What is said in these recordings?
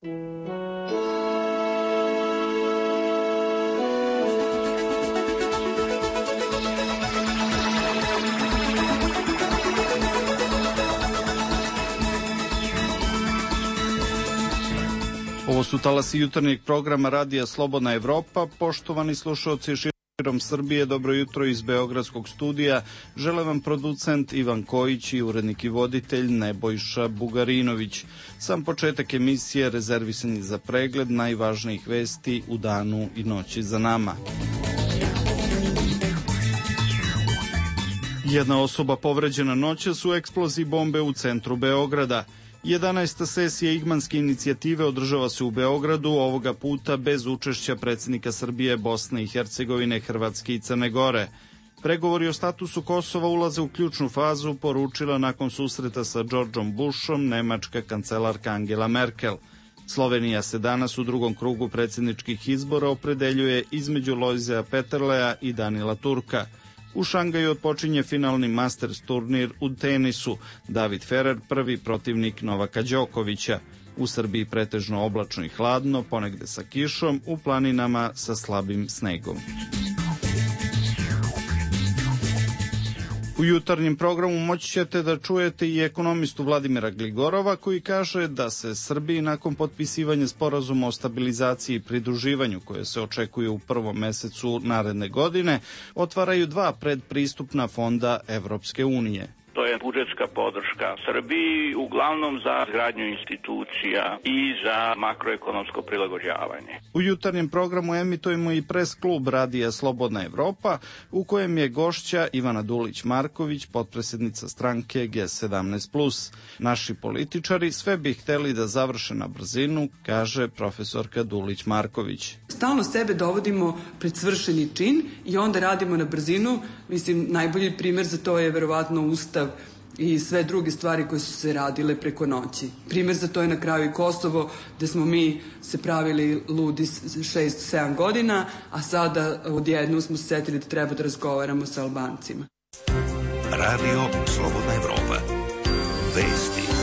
Ovo su talasi jutarnjeg programa Radija Slobodna Evropa. Poštovani slušalci širom Srbije, dobro jutro iz Beogradskog studija. Žele vam producent Ivan Kojić i urednik i voditelj Nebojša Bugarinović. Sam početak emisije rezervisan je za pregled najvažnijih vesti u danu i noći za nama. Jedna osoba povređena noćas u eksploziji bombe u centru Beograda. 11. sesija Igmanske inicijative održava se u Beogradu, ovoga puta bez učešća predsjednika Srbije, Bosne i Hercegovine, Hrvatske i Crne Gore. Pregovori o statusu Kosova ulaze u ključnu fazu, poručila nakon susreta sa Georgeom Bushom nemačka kancelarka Angela Merkel. Slovenija se danas u drugom krugu predsjedničkih izbora opredeljuje između Lojzea Peterleja i Danila Turka. U Šangaju otpočinje finalni Masters turnir u tenisu. David Ferrer prvi protivnik Novaka Đokovića. U Srbiji pretežno oblačno i hladno, ponegde sa kišom, u planinama sa slabim snegom. U jutarnjem programu moći ćete da čujete i ekonomistu Vladimira Gligorova koji kaže da se Srbiji nakon potpisivanja sporazuma o stabilizaciji i pridruživanju koje se očekuje u prvom mesecu naredne godine otvaraju dva predpristupna fonda Evropske unije. To je budžetska podrška Srbiji, uglavnom za izgradnju institucija i za makroekonomsko prilagođavanje. U jutarnjem programu emitujemo i pres klub Radija Slobodna Evropa, u kojem je gošća Ivana Dulić-Marković, potpredsjednica stranke G17+. Naši političari sve bi hteli da završe na brzinu, kaže profesorka Dulić-Marković. Stalno sebe dovodimo pred svršeni čin i onda radimo na brzinu. Mislim, najbolji primer za to je verovatno Ustav i sve druge stvari koje su se radile preko noći. Primer za to je na kraju i Kosovo, gde smo mi se pravili ludi 6-7 godina, a sada odjednom smo se setili da treba da razgovaramo sa Albancima. Radio Slobodna Evropa. Vesti.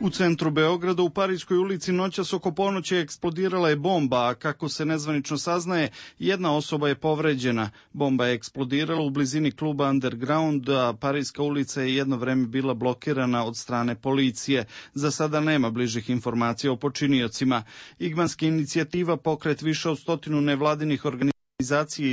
U centru Beograda u Parijskoj ulici noćas oko ponoći eksplodirala je bomba, a kako se nezvanično saznaje, jedna osoba je povređena. Bomba je eksplodirala u blizini kluba Underground, a Parijska ulica je jedno vreme bila blokirana od strane policije. Za sada nema bližih informacija o počiniocima. Igmanska inicijativa, pokret više od 100 nevladinih organizacija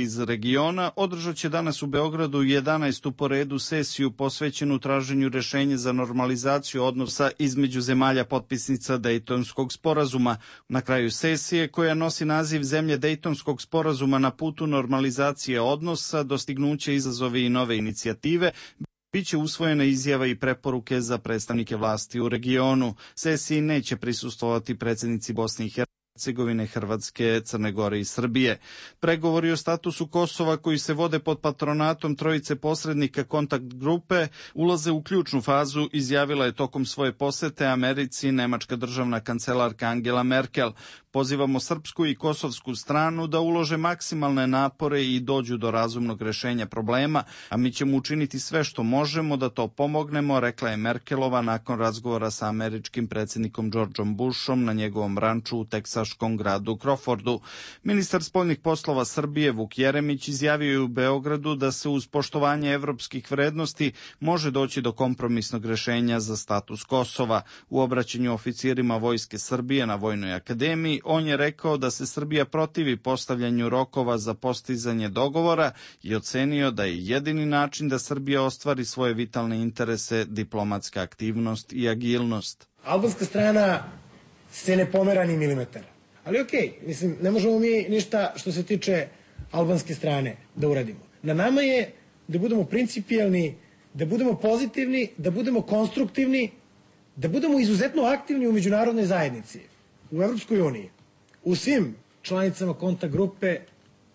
iz regiona, održat će danas u Beogradu 11. po redu sesiju posvećenu traženju rešenja za normalizaciju odnosa između zemalja potpisnica Dejtonskog sporazuma. Na kraju sesije, koja nosi naziv Zemlje Dejtonskog sporazuma na putu normalizacije odnosa, dostignuće, izazovi i nove inicijative, biće usvojena izjava i preporuke za predstavnike vlasti u regionu. Sesiji neće prisustvovati predsjednici Bosne i Hercegovine, Hrvatske, Crne Gore i Srbije. Pregovori o statusu Kosova koji se vode pod patronatom trojice posrednika kontakt grupe ulaze u ključnu fazu, izjavila je tokom svoje posete Americi nemačka državna kancelarka Angela Merkel. Pozivamo srpsku i kosovsku stranu da ulože maksimalne napore i dođu do razumnog rešenja problema, a mi ćemo učiniti sve što možemo da to pomognemo, rekla je Merkelova nakon razgovora sa američkim predsjednikom Georgeom Bushom na njegovom ranču u teksaškom gradu Crawfordu. Ministar spoljnih poslova Srbije Vuk Jeremić izjavio je u Beogradu da se uz poštovanje evropskih vrednosti može doći do kompromisnog rešenja za status Kosova. U obraćanju oficirima Vojske Srbije na Vojnoj akademiji on je rekao da se Srbija protivi postavljanju rokova za postizanje dogovora i ocenio da je jedini način da Srbija ostvari svoje vitalne interese diplomatska aktivnost i agilnost. Albanska strana se ne pomera ni milimetar. Ali mislim, ne možemo mi ništa što se tiče albanske strane da uradimo. Na nama je da budemo principijelni, da budemo pozitivni, da budemo konstruktivni, da budemo izuzetno aktivni u međunarodnoj zajednici, u Evropskoj uniji, u svim članicama kontakt grupe,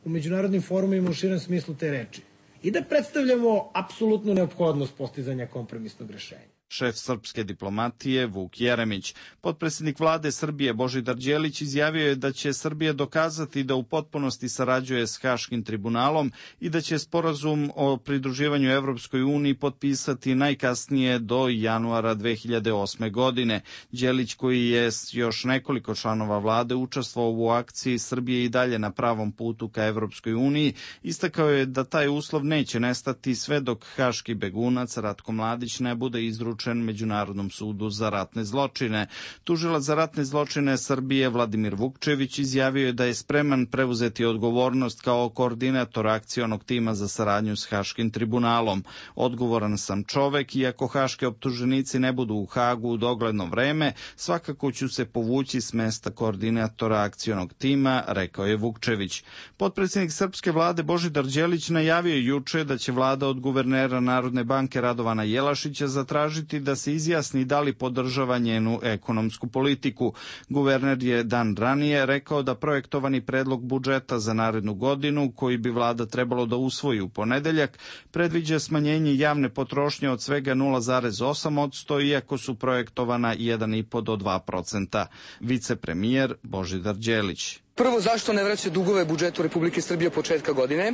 u međunarodnim forumima u širem smislu te reči. I da predstavljamo apsolutnu neophodnost postizanja kompromisnog rešenja. Šef srpske diplomatije Vuk Jeremić. Potpredsjednik vlade Srbije Božidar Đelić izjavio je da će Srbija dokazati da u potpunosti sarađuje s Haškim tribunalom i da će sporazum o pridruživanju Evropskoj uniji potpisati najkasnije do januara 2008. godine. Đelić, koji je s još nekoliko članova vlade učestvovao u akciji Srbije i dalje na pravom putu ka Evropskoj uniji, istakao je da taj uslov neće nestati sve dok haški begunac Ratko Mladić ne bude izručen Međunarodnom sudu za ratne zločine. Tužilac za ratne zločine Srbije Vladimir Vukčević izjavio je da je spreman preuzeti odgovornost kao koordinator akcionog tima za saradnju s Haškim tribunalom. Odgovoran sam čovek i ako haške optuženici ne budu u Hagu u dogledno vreme, svakako ću se povući s mesta koordinatora akcionog tima, rekao je Vukčević. Potpredsjednik srpske vlade Božidar Đelić najavio juče da će vlada od guvernera Narodne banke Radovana Jelašića zatražiti da se izjasni da li podržava njenu ekonomsku politiku. Guverner je dan ranije rekao da projektovani predlog budžeta za narednu godinu, koji bi vlada trebalo da usvoji u ponedeljak, predviđa smanjenje javne potrošnje od svega 0,8%, iako su projektovana 1,5 do 2%. Vicepremijer Božidar Đelić. Prvo, zašto ne vraća dugove budžetu Republike Srbije od početka godine?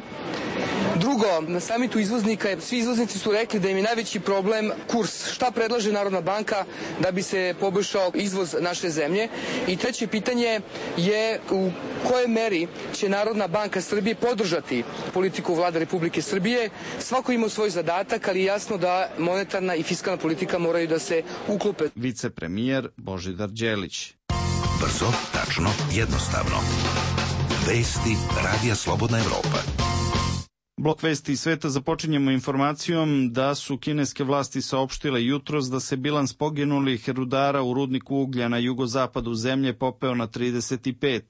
Drugo, na samitu izvoznika svi izvoznici su rekli da im je najveći problem kurs. Šta predlaže Narodna banka da bi se poboljšao izvoz naše zemlje? I treće pitanje je u kojoj meri će Narodna banka Srbije podržati politiku vlade Republike Srbije. Svako ima svoj zadatak, ali je jasno da monetarna i fiskalna politika moraju da se uklope. Vicepremijer Božidar Đelić. Brzo, tačno, jednostavno. Vesti Radija Slobodna Evropa. Blok vesti iz sveta započinjemo informacijom da su kineske vlasti saopštile jutros da se bilans poginulih rudara u rudniku uglja na jugozapadu zemlje popeo na 35.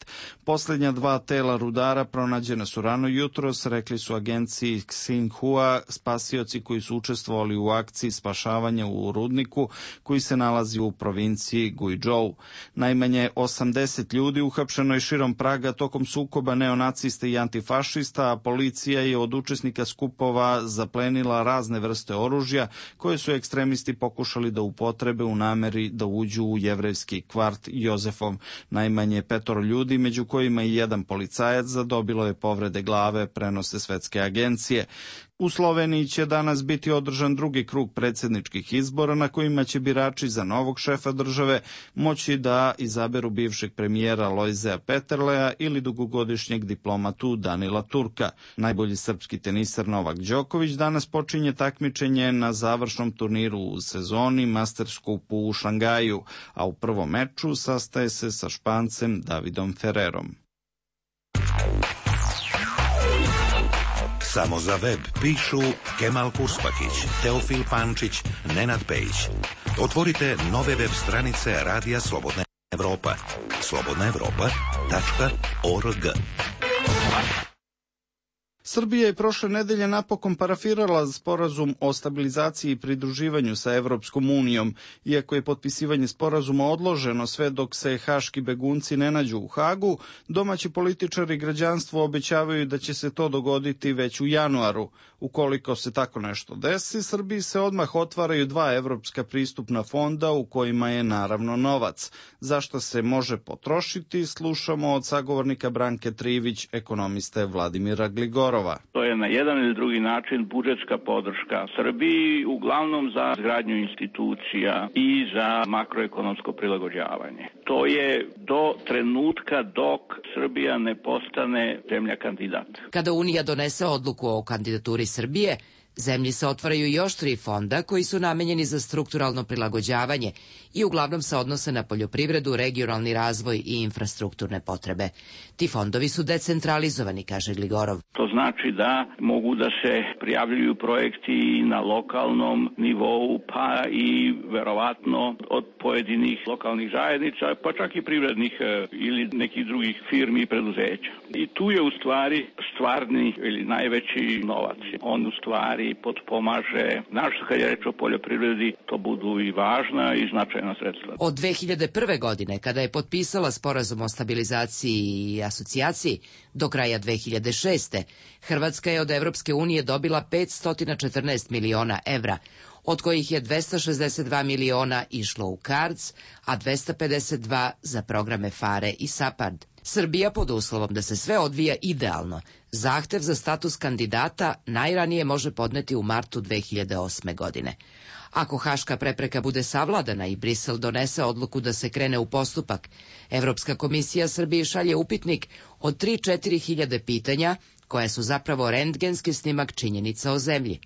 Poslednja dva tela rudara pronađena su rano jutros, rekli su agenciji Xinhua spasioci koji su učestvovali u akciji spašavanja u rudniku koji se nalazi u provinciji Guizhou. Najmanje 80 ljudi uhapšeno je širom Praga tokom sukoba neonacista i antifašista, a policija je od učesnika skupova zaplenila razne vrste oružja koje su ekstremisti pokušali da upotrebe u nameri da uđu u jevrejski kvart Jozefov. Najmanje 5 ljudi, među kojima i jedan policajac, zadobilo je povrede glave, prenose svetske agencije. U Sloveniji će danas biti održan drugi krug predsjedničkih izbora na kojima će birači za novog šefa države moći da izaberu bivšeg premijera Lojzea Peterleja ili dugogodišnjeg diplomatu Danila Turka. Najbolji srpski teniser Novak Đoković danas počinje takmičenje na završnom turniru u sezoni Masters Cupu u Šangaju, a u prvom meču sastaje se sa Špancem Davidom Ferrerom. Samo za web pišu Kemal Kuspakić, Teofil Pančić, Nenad Pejić. Otvorite nove web stranice Radija Slobodna Evropa. slobodnaevropa.org. Srbija je prošle nedelje napokon parafirala sporazum o stabilizaciji i pridruživanju sa Evropskom unijom. Iako je potpisivanje sporazuma odloženo sve dok se haški begunci ne nađu u Hagu, domaći političari i građanstvo obećavaju da će se to dogoditi već u januaru. Ukoliko se tako nešto desi, Srbiji se odmah otvaraju 2 evropska pristupna fonda u kojima je naravno novac. Zašto se može potrošiti, slušamo od sagovornika Branke Trivić, ekonomiste Vladimira Gligorova. To je na jedan ili drugi način budžetska podrška Srbiji, uglavnom za izgradnju institucija i za makroekonomsko prilagođavanje. To je do trenutka dok Srbija ne postane zemlja kandidat. Kada Unija donese odluku o kandidaturi Srbije, zemlji se otvaraju još 3 fonda koji su namenjeni za strukturalno prilagođavanje i uglavnom se odnose na poljoprivredu, regionalni razvoj i infrastrukturne potrebe. Ti fondovi su decentralizovani, kaže Gligorov. To znači da mogu da se prijavljuju projekti na lokalnom nivou, pa i verovatno od pojedinih lokalnih zajednica, pa čak i privrednih ili nekih drugih firmi i preduzeća. I tu je u stvari stvarni ili najveći novac. On u stvari potpomaže, našto kad je reč o poljoprivredi, to budu i važna i značajna sredstva. Od 2001. godine, kada je potpisala sporazum o stabilizaciji i asocijaciji, do kraja 2006. Hrvatska je od Evropske unije dobila 514 miliona evra, od kojih je 262 miliona išlo u CARDS, a 252 za programe FARE i SAPARD. Srbija, pod uslovom da se sve odvija idealno, zahtev za status kandidata najranije može podneti u martu 2008. godine. Ako haška prepreka bude savladana i Brisel donese odluku da se krene u postupak, Evropska komisija Srbiji šalje upitnik od 3-4 hiljade pitanja, koja su zapravo rentgenski snimak činjenica o zemlji.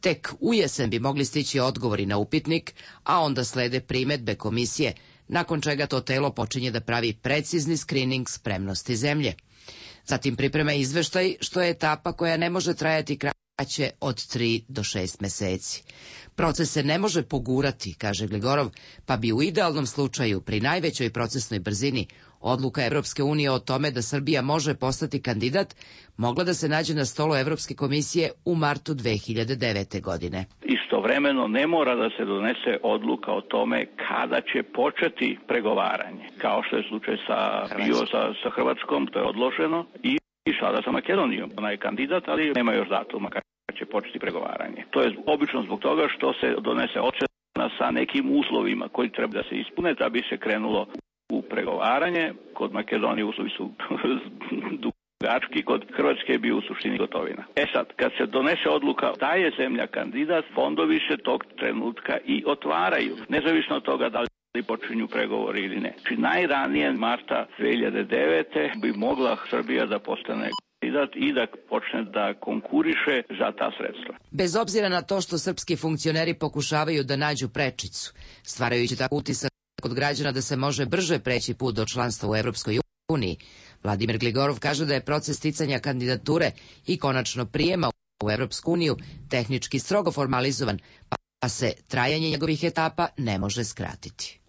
Tek u jesen bi mogli stići odgovori na upitnik, a onda slede primedbe komisije, nakon čega to telo počinje da pravi precizni skrining spremnosti zemlje. Zatim priprema izveštaj, što je etapa koja ne može trajati kraće od 3 do 6 meseci. Proces se ne može pogurati, kaže Gligorov, pa bi u idealnom slučaju, pri najvećoj procesnoj brzini, odluka Evropske unije o tome da Srbija može postati kandidat mogla da se nađe na stolu Evropske komisije u martu 2009. godine. Istovremeno ne mora da se donese odluka o tome kada će početi pregovaranje, kao što je slučaj sa Hrvatskom, to je odloženo, i sada sa Makedonijom. Ona je kandidat, ali nema još datuma kada će početi pregovaranje. To je obično zbog toga što se donese ocena sa nekim uslovima koji treba da se ispune da bi se krenulo u pregovaranje. Kod Makedonije uslovi su dugački, kod Hrvatske je bio u suštini gotovina. Sad, kad se donese odluka da je zemlja kandidat, fondovi se tog trenutka i otvaraju, nezavisno od toga da li počinju pregovori ili ne. Znači, najranije marta 2009. bi mogla Srbija da postane kandidat i da počne da konkuriše za ta sredstva. Bez obzira na to što srpski funkcioneri pokušavaju da nađu prečicu, stvarajući tako utisak kod građana da se može brže preći put do članstva u Evropskoj uniji, Vladimir Gligorov kaže da je proces sticanja kandidature i konačno prijema u Evropsku uniju tehnički strogo formalizovan, pa se trajanje njegovih etapa ne može skratiti.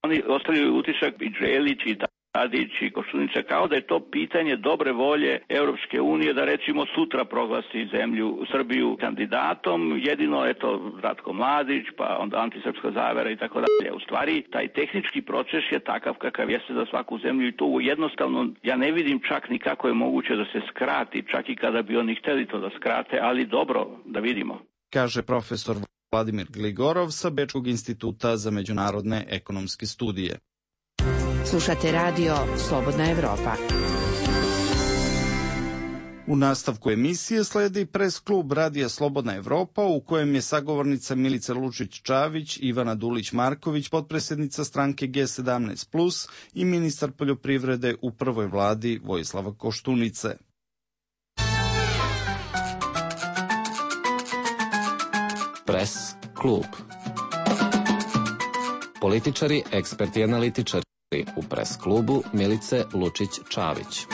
Oni ostavljaju utisak i Đelić i Tadić i Koštunica kao da je to pitanje dobre volje Europske unije da recimo sutra proglasi zemlju Srbiju kandidatom, jedino eto Ratko Mladić, pa onda antisrpska zavera i tako dalje. U stvari taj tehnički proces je takav kakav jeste za svaku zemlju i to jednostavno ja ne vidim čak ni kako je moguće da se skrati, čak i kada bi oni hteli to da skrate, ali dobro da vidimo. Kaže profesor Vladimir Gligorov sa Bečkog instituta za međunarodne ekonomske studije. Slušate radio Slobodna Evropa. U nastavku emisije sledi pres klub Radija Slobodna Evropa u kojem je sagovornica Milica Lučić-Čavić, Ivana Dulić-Marković, potpredsjednica stranke G17+, i ministar poljoprivrede u prvoj vladi Vojislava Koštunice. Pres klub. Političari, eksperti i analitičari. U pres klubu Milice Lučić-Čavić.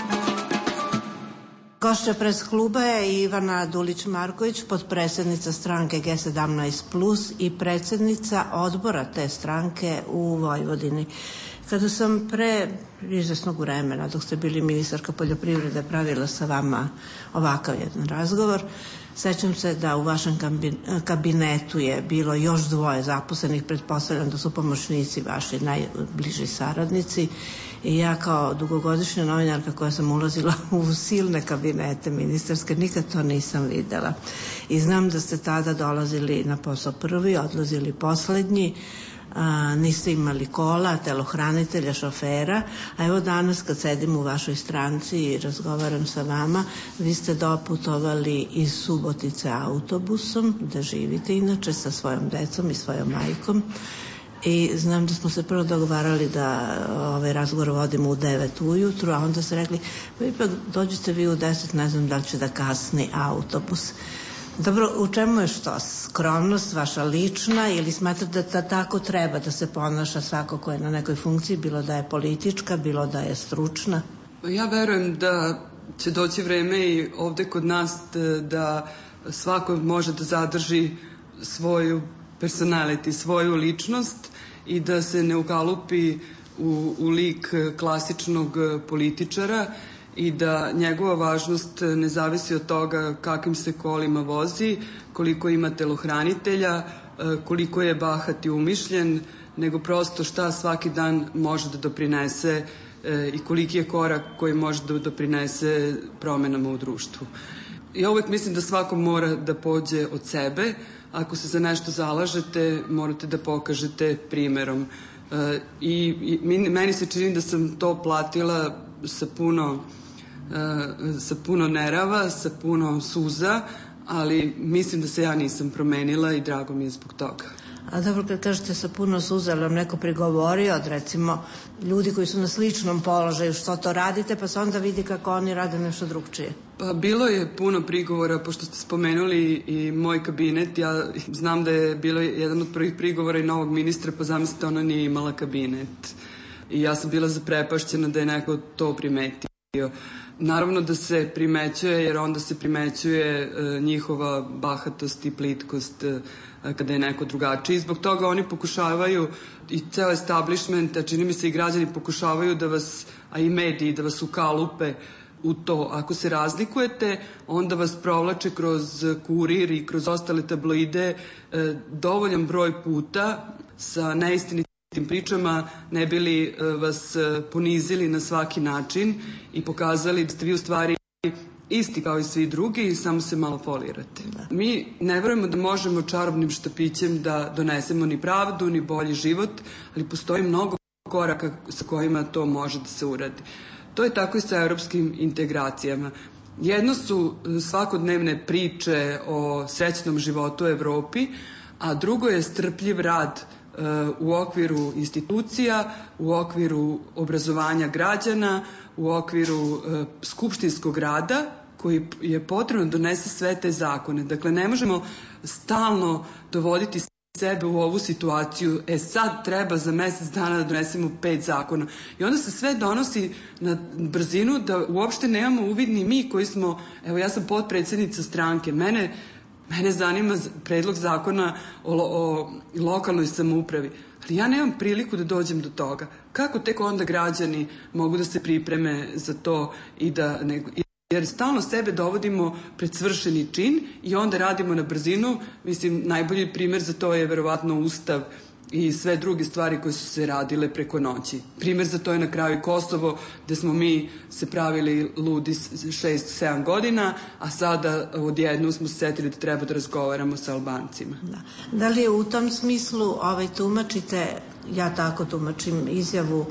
Gošća pres kluba je Ivana Dulić-Marković, potpredsjednica stranke G17+, i predsjednica odbora te stranke u Vojvodini. Kada sam pre izvesnog vremena, dok ste bili ministarka poljoprivrede, pravila sa vama ovakav jedan razgovor, sećam se da u vašem kabinetu je bilo još 2 zaposlenih, pretpostavljam da su pomoćnici vaši najbliži saradnici, i ja kao dugogodišnja novinarka koja sam ulazila u silne kabinete ministarske, nikad to nisam videla. I znam da ste tada dolazili na posao prvi, odlazili poslednji, niste imali kola, telohranitelja, šofera, a evo danas kad sedim u vašoj stranci i razgovaram sa vama, vi ste doputovali iz Subotice autobusom, da živite inače sa svojom decom i svojom majkom, i znam da smo se prvo dogovarali da ovaj razgovor vodimo u 9 ujutru, a onda ste rekli, pa ipak dođete vi u 10, ne znam da li će da kasni autobus. Dobro, u čemu je što? Skromnost vaša lična ili smatrate da tako treba da se ponaša svako ko je na nekoj funkciji, bilo da je politička, bilo da je stručna? Ja verujem da će doći vreme i ovde kod nas da svako može da zadrži svoju personality, svoju ličnost i da se ne ukalupi u lik klasičnog političara i da njegova važnost ne zavisi od toga kakvim se kolima vozi, koliko ima telohranitelja, koliko je bahat i umišljen, nego prosto šta svaki dan može da doprinese i koliki je korak koji može da doprinese promenama u društvu. Ja uvek mislim da svako mora da pođe od sebe, ako se za nešto zalažete, morate da pokažete primerom. I meni se čini da sam to platila sa puno nerava, sa puno suza, ali mislim da se ja nisam promenila i drago mi je zbog toga. A dobro, kad kažete sa puno suza, ali vam neko prigovorio od, recimo, ljudi koji su na sličnom položaju, što to radite, pa se onda vidi kako oni rade nešto drugčije? Pa bilo je puno prigovora, pošto ste spomenuli i moj kabinet. Ja znam da je bilo jedan od prvih prigovora i novog ministra, pa zamislite, ona nije imala kabinet. I ja sam bila zaprepašćena da je neko to primetio. Naravno da se primećuje, jer onda se primećuje njihova bahatost i plitkost kada je neko drugačiji. Zbog toga oni pokušavaju, i ceo establishment, a čini mi se i građani pokušavaju da vas, a i mediji, da vas ukalupe u to. Ako se razlikujete, onda vas provlače kroz Kurir i kroz ostale tabloide dovoljan broj puta sa neistinitim pričama, ne bi li vas ponizili na svaki način i pokazali da ste vi u stvari isti kao i svi drugi i samo se malo folirate. Mi ne verujemo da možemo čarobnim štapićem da donesemo ni pravdu, ni bolji život, ali postoji mnogo koraka sa kojima to može da se uradi. To je tako i sa evropskim integracijama. Jedno su svakodnevne priče o srećnom životu u Evropi, a drugo je strpljiv rad u okviru institucija, u okviru obrazovanja građana, u okviru skupštinskog rada, koji je potrebno da donese sve te zakone. Dakle, ne možemo stalno dovoditi sebe u ovu situaciju, sad treba za mesec dana da donesemo 5 zakona. I onda se sve donosi na brzinu da uopšte nemamo uvid ni mi koji smo, evo ja sam potpredsednica stranke, mene zanima predlog zakona o lokalnoj samoupravi, ali ja nemam priliku da dođem do toga. Kako tek onda građani mogu da se pripreme za to i da jer stalno sebe dovodimo pred svršeni čin i onda radimo na brzinu. Mislim, najbolji primer za to je verovatno Ustav i sve druge stvari koje su se radile preko noći. Primer za to je na kraju Kosovo, gde smo mi se pravili ludi 6-7 godina, a sada odjednom smo se setili da treba da razgovaramo sa Albancima. Da li je u tom smislu tumačite, ja tako tumačim izjavu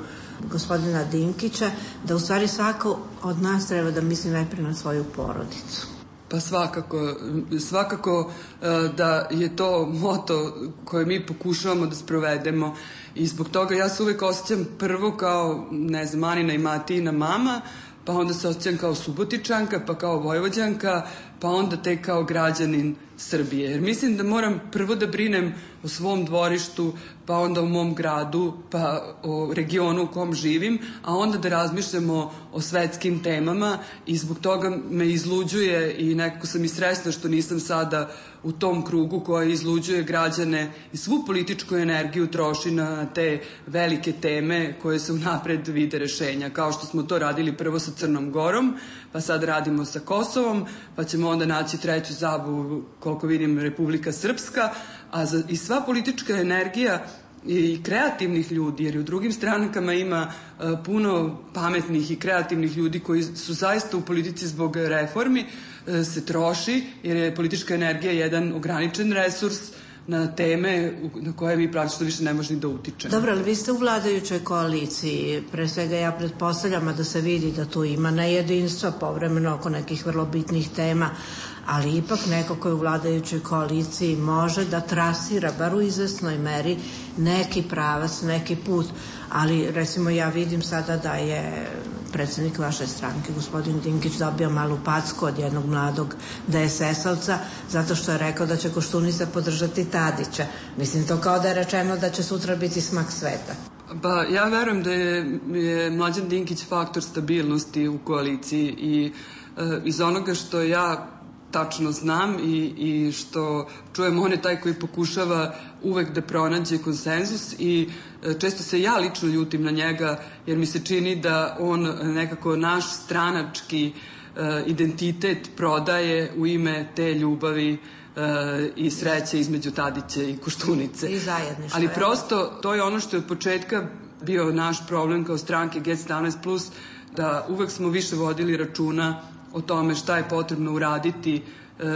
gospodina Dinkića, da u stvari svako od nas treba da misli najprije na svoju porodicu? Pa svakako da je to moto koje mi pokušavamo da sprovedemo i zbog toga ja se uvek osjećam prvo kao, ne znam, Anina i Matijina mama, pa onda se osjećam kao Subotičanka, pa kao Vojvođanka, pa onda tek kao građanin Srbije. Jer mislim da moram prvo da brinem o svom dvorištu, pa onda o mom gradu, pa o regionu u kom živim, a onda da razmišljamo o svetskim temama i zbog toga me izluđuje i nekako sam i srećna što nisam sada u tom krugu koja izluđuje građane i svu političku energiju troši na te velike teme koje se unapred vide rešenja, kao što smo to radili prvo sa Crnom Gorom, pa sad radimo sa Kosovom, pa ćemo onda naći treću zabavu, koliko vidim, Republika Srpska, i sva politička energija i kreativnih ljudi, jer u drugim strankama ima puno pametnih i kreativnih ljudi koji su zaista u politici zbog reformi, se troši, jer je politička energija jedan ograničen resurs na teme na koje mi praktično više ne možemo ni da utičemo. Dobro, ali vi ste u vladajućoj koaliciji, pre svega ja pretpostavljam da se vidi da tu ima nejedinstva povremeno oko nekih vrlo bitnih tema, ali ipak neko ko je u vladajućoj koaliciji može da trasira, bar u izvesnoj meri, neki pravac, neki put. Ali, recimo, ja vidim sada da je predsednik vaše stranke, gospodin Dinkić, dobio malu packu od jednog mladog DSS-ovca, zato što je rekao da će Koštunica podržati Tadića. Mislim, to kao da je rečeno da će sutra biti smak sveta. Pa, ja verujem da je Mlađan Dinkić faktor stabilnosti u koaliciji i iz onoga što ja tačno znam i što čujem, on je taj koji pokušava uvek da pronađe konsenzus i često se ja lično ljutim na njega jer mi se čini da on nekako naš stranački identitet prodaje u ime te ljubavi i sreće između Tadića i Koštunice. I zajedništvo. Ali prosto to je ono što je od početka bio naš problem kao stranke G17+, da uvek smo više vodili računa o tome šta je potrebno uraditi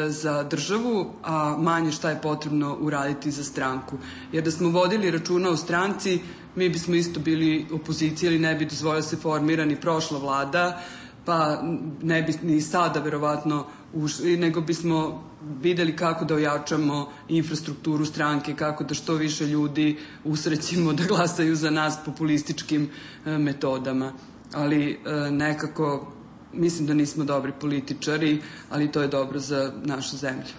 za državu, a manje šta je potrebno uraditi za stranku. Jer da smo vodili računa o stranci, mi bismo isto bili opozicija ili ne bi dozvolila se formira ni prošla vlada, pa ne bi ni sada verovatno ušli, nego bismo videli kako da ojačamo infrastrukturu stranke, kako da što više ljudi usrećimo da glasaju za nas populističkim metodama. Ali nekako mislim da nismo dobri političari, ali to je dobro za našu zemlju.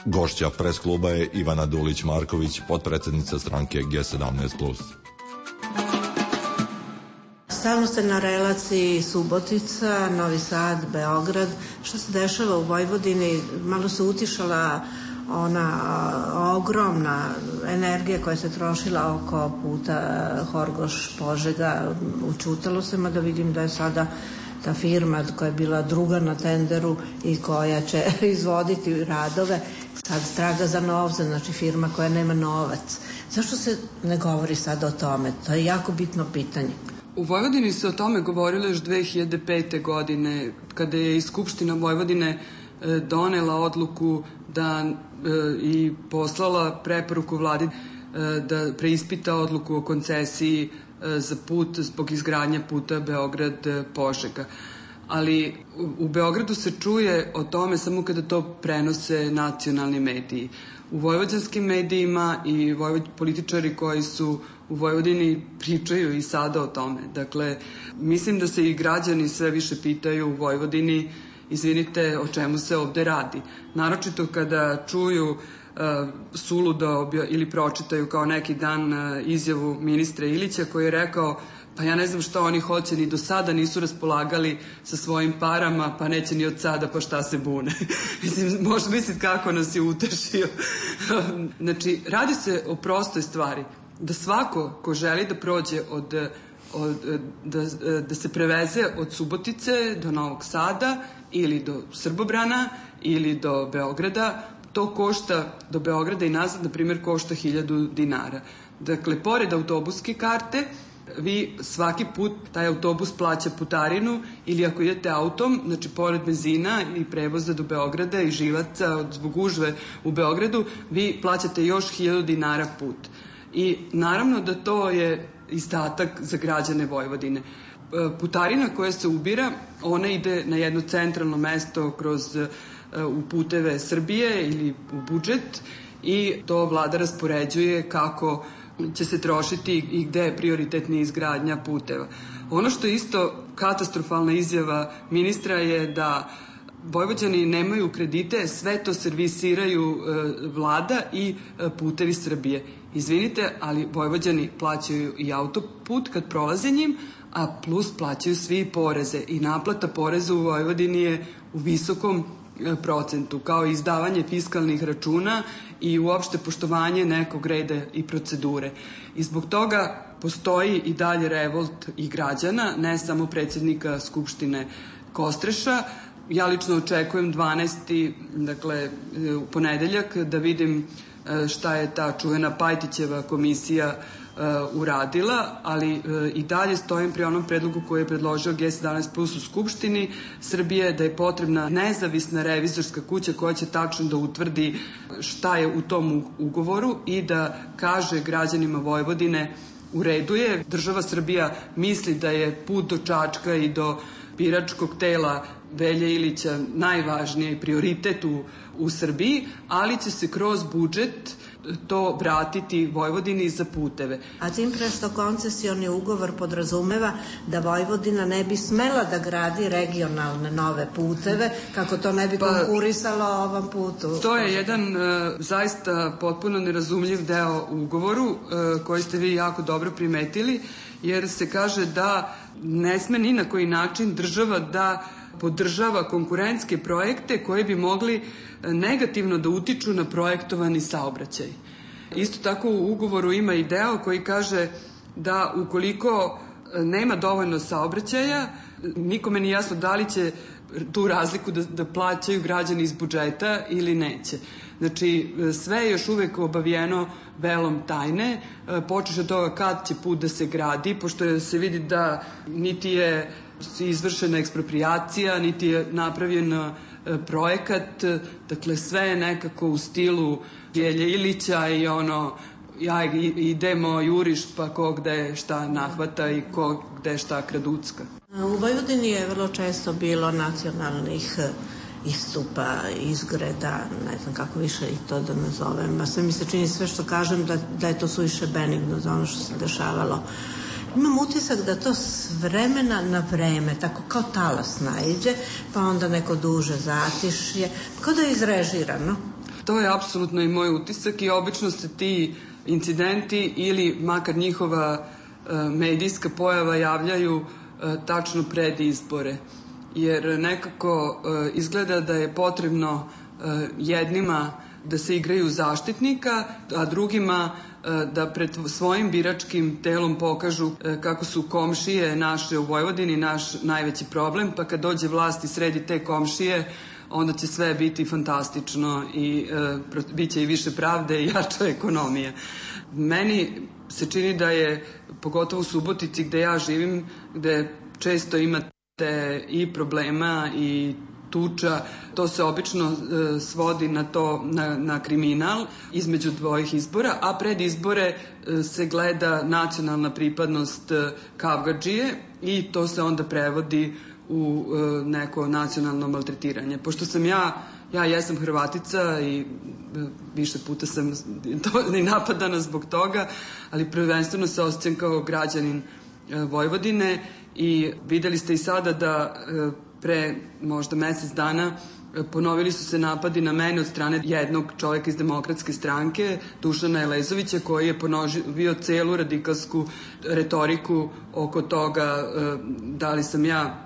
Gošća pres kluba je Ivana Dulić-Marković, potpredsednica stranke G17+. Stalno ste na relaciji Subotica, Novi Sad, Beograd. Što se dešava u Vojvodini? Malo se utišala ona ogromna energija koja se trošila oko puta Horgoš-Požega. Učutalo se, mada vidim da je sada ta firma koja je bila druga na tenderu i koja će izvoditi radove, sad traga za novce, znači firma koja nema novac. Zašto se ne govori sada o tome? To je jako bitno pitanje. U Vojvodini se o tome govorilo još 2005. godine, kada je i Skupština Vojvodine donela odluku da i poslala preporuku vladi da preispita odluku o koncesiji za put zbog izgradnja puta Beograd-Požega. Ali u Beogradu se čuje o tome samo kada to prenose nacionalni mediji. U vojvođanskim medijima i političari koji su u Vojvodini pričaju i sada o tome. Dakle, mislim da se i građani sve više pitaju u Vojvodini, izvinite, o čemu se ovde radi. Naročito kada čuju suludo ili pročitaju kao neki dan izjavu ministra Ilića koji je rekao pa ja ne znam šta oni hoće, ni do sada nisu raspolagali sa svojim parama, pa neće ni od sada, pa šta se bune. Mislim, možeš misliti kako nas je utešio. Znači, radi se o prostoj stvari. Da svako ko želi da prođe da se preveze od Subotice do Novog Sada ili do Srbobrana ili do Beograda, to košta do Beograda i nazad, na primjer, košta 1000 dinara. Dakle, pored autobuske karte, vi svaki put taj autobus plaća putarinu ili ako idete autom, znači pored benzina i prevoza do Beograda i živaca zbog gužve u Beogradu, vi plaćate još 1000 dinara put. I naravno da to je izdatak za građane Vojvodine. Putarina koja se ubira, ona ide na jedno centralno mesto u puteve Srbije ili u budžet i to vlada raspoređuje kako će se trošiti i gde je prioritetna izgradnja puteva. Ono što je isto katastrofalna izjava ministra je da Vojvođani nemaju kredite, sve to servisiraju vlada i putevi Srbije. Izvinite, ali Vojvođani plaćaju i autoput kad prolaze njim, a plus plaćaju svi poreze i naplata poreza u Vojvodini je u visokom procentu, kao i izdavanje fiskalnih računa i uopšte poštovanje nekog reda i procedure. I zbog toga postoji i dalje revolt i građana, ne samo predsjednika Skupštine Kostreša. Ja lično očekujem 12. dakle u ponedeljak da vidim šta je ta čuvena Pajtićeva komisija uradila, ali i dalje stojim pri onom predlogu koji je predložio G17+ u Skupštini Srbije, da je potrebna nezavisna revizorska kuća koja će tačno da utvrdi šta je u tom ugovoru i da kaže građanima Vojvodine u redu je, država Srbija misli da je put do Čačka i do biračkog tela Velje Ilića najvažniji prioritet u Srbiji, ali će se kroz budžet to vratiti Vojvodini za puteve. A tim pre što koncesioni ugovor podrazumeva da Vojvodina ne bi smela da gradi regionalne nove puteve, kako to ne bi konkurisalo ovom putu. To je jedan zaista potpuno nerazumljiv deo u ugovoru koji ste vi jako dobro primetili, jer se kaže da ne sme ni na koji način država da podržava konkurentske projekte koji bi mogli negativno da utiču na projektovani saobraćaj. Isto tako u ugovoru ima i deo koji kaže da ukoliko nema dovoljno saobraćaja, nikome nije jasno da li će tu razliku da plaćaju građani iz budžeta ili neće. Znači, sve je još uvek obavijeno velom tajne, počeš od toga kad će put da se gradi, pošto se vidi da niti je izvršena eksproprijacija, niti je napravljena projekat, dakle sve je nekako u stilu Gelje Ilića i ja idemo juriš pa ko gde šta nahvata i ko gde šta kraducka. U Vojvodini je vrlo često bilo nacionalnih istupa, izgreda, ne znam kako više i to da nazovem. A sve mi se čini sve što kažem da je to suviše benigno za ono što se dešavalo. Imam utisak da to s vremena na vreme, tako kao talas naiđe, pa onda neko duže zatišje, kao da je izrežirano. To je apsolutno i moj utisak i obično se ti incidenti ili makar njihova medijska pojava javljaju tačno pred izbore. Jer nekako izgleda da je potrebno jednima da se igraju zaštitnika, a drugima da pred svojim biračkim telom pokažu kako su komšije naše u Vojvodini naš najveći problem, pa kad dođe vlast i sredi te komšije, onda će sve biti fantastično i bit će i više pravde i jača ekonomija. Meni se čini da je, pogotovo u Subotici gde ja živim, gde često imate i problema i tuča, to se obično svodi na kriminal između dvojih izbora, a pred izbore se gleda nacionalna pripadnost kavgadžije i to se onda prevodi u neko nacionalno maltretiranje. Pošto sam ja jesam Hrvatica i više puta sam i napadana zbog toga, ali prvenstveno se osjećam kao građanin Vojvodine i videli ste i sada da pre možda mesec dana ponovili su se napadi na mene od strane jednog čoveka iz Demokratske stranke, Dušana Elezovića, koji je ponovio celu radikalsku retoriku oko toga da li sam ja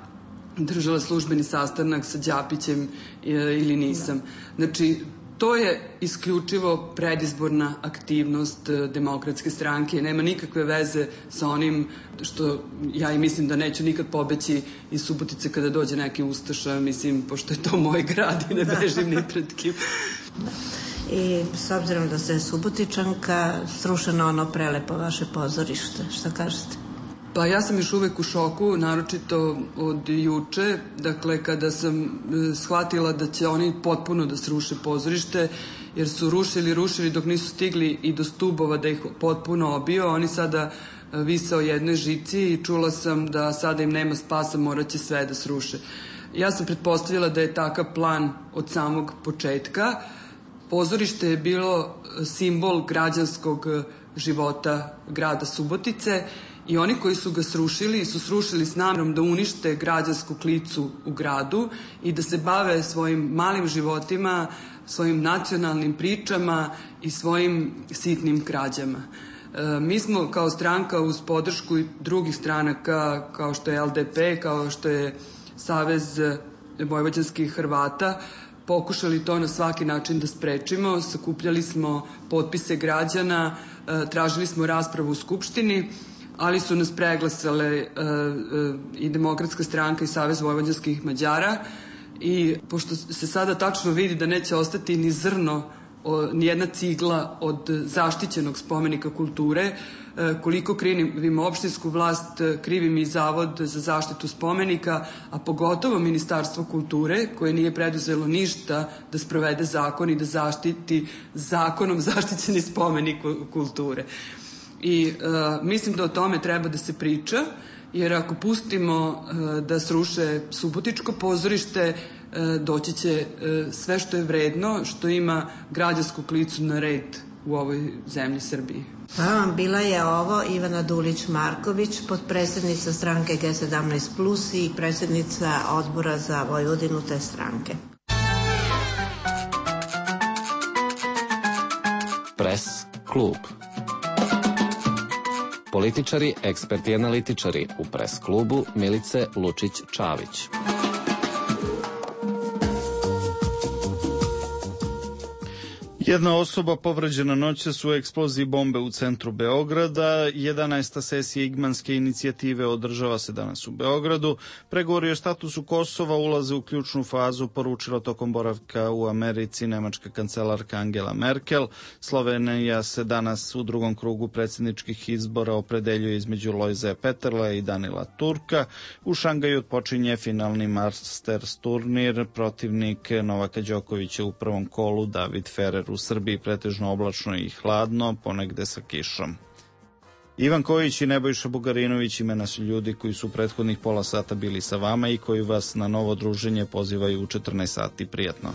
držala službeni sastanak sa Đapićem ili nisam. Znači, to je isključivo predizborna aktivnost Demokratske stranke. Nema nikakve veze sa onim što ja i mislim da neću nikad pobeći iz Subotice kada dođe neki ustaša, mislim, pošto je to moj grad i ne bežim ni pred kim. I s obzirom da ste Subotičanka, srušeno ono prelepo vaše pozorište, šta kažete? Pa ja sam još uvek u šoku, naročito od juče, dakle kada sam shvatila da će oni potpuno da sruše pozorište, jer su rušili dok nisu stigli i do stubova da ih potpuno obio, oni sada vise o jednoj žici i čula sam da sada im nema spasa, morat će sve da sruše. Ja sam pretpostavila da je takav plan od samog početka. Pozorište je bilo simbol građanskog života grada Subotice i oni koji su ga srušili su srušili s namerom da unište građansku klicu u gradu i da se bave svojim malim životima, svojim nacionalnim pričama i svojim sitnim krađama. Mi smo kao stranka uz podršku i drugih stranaka kao što je LDP, kao što je Savez vojvođanskih Hrvata, pokušali to na svaki način da sprečimo. Sakupljali smo potpise građana, tražili smo raspravu u Skupštini, ali su nas preglasale i Demokratska stranka i Savez vojvođanskih Mađara i pošto se sada tačno vidi da neće ostati ni zrno, ni jedna cigla od zaštićenog spomenika kulture, koliko krivim opštinsku vlast, krivim i Zavod za zaštitu spomenika, a pogotovo Ministarstvo kulture koje nije preduzelo ništa da sprovede zakon i da zaštiti zakonom zaštićeni spomenik kulture. I mislim da o tome treba da se priča, jer ako pustimo da sruše Subotičko pozorište, doći će sve što je vredno, što ima građansku klicu na red u ovoj zemlji Srbiji. Hvala vam, bila je ovo Ivana Dulić-Marković, potpredsednica stranke G17+, i predsednica odbora za Vojvodinu te stranke. Pres klub. Političari, eksperti i analitičari u Pres klubu Milice Lučić-Čavić. Jedna osoba povređena noćas u eksploziji bombe u centru Beograda. 11. sesija Igmanske inicijative održava se danas u Beogradu. Pregovori o statusu Kosova ulaze u ključnu fazu, poručila tokom boravka u Americi nemačka kancelarka Angela Merkel. Slovenija se danas u drugom krugu predsjedničkih izbora opredeljuje između Lojze Peterle i Danila Turka. U Šangaju počinje finalni Masters turnir. Protivnik Novaka Đokovića u prvom kolu David Ferrer. U Srbiji pretežno oblačno i hladno, ponegde sa kišom. Ivan Kojić i Nebojša Bugarinović imena su ljudi koji su prethodnih pola sata bili sa vama i koji vas na novo druženje pozivaju u 14 sati. Prijatno.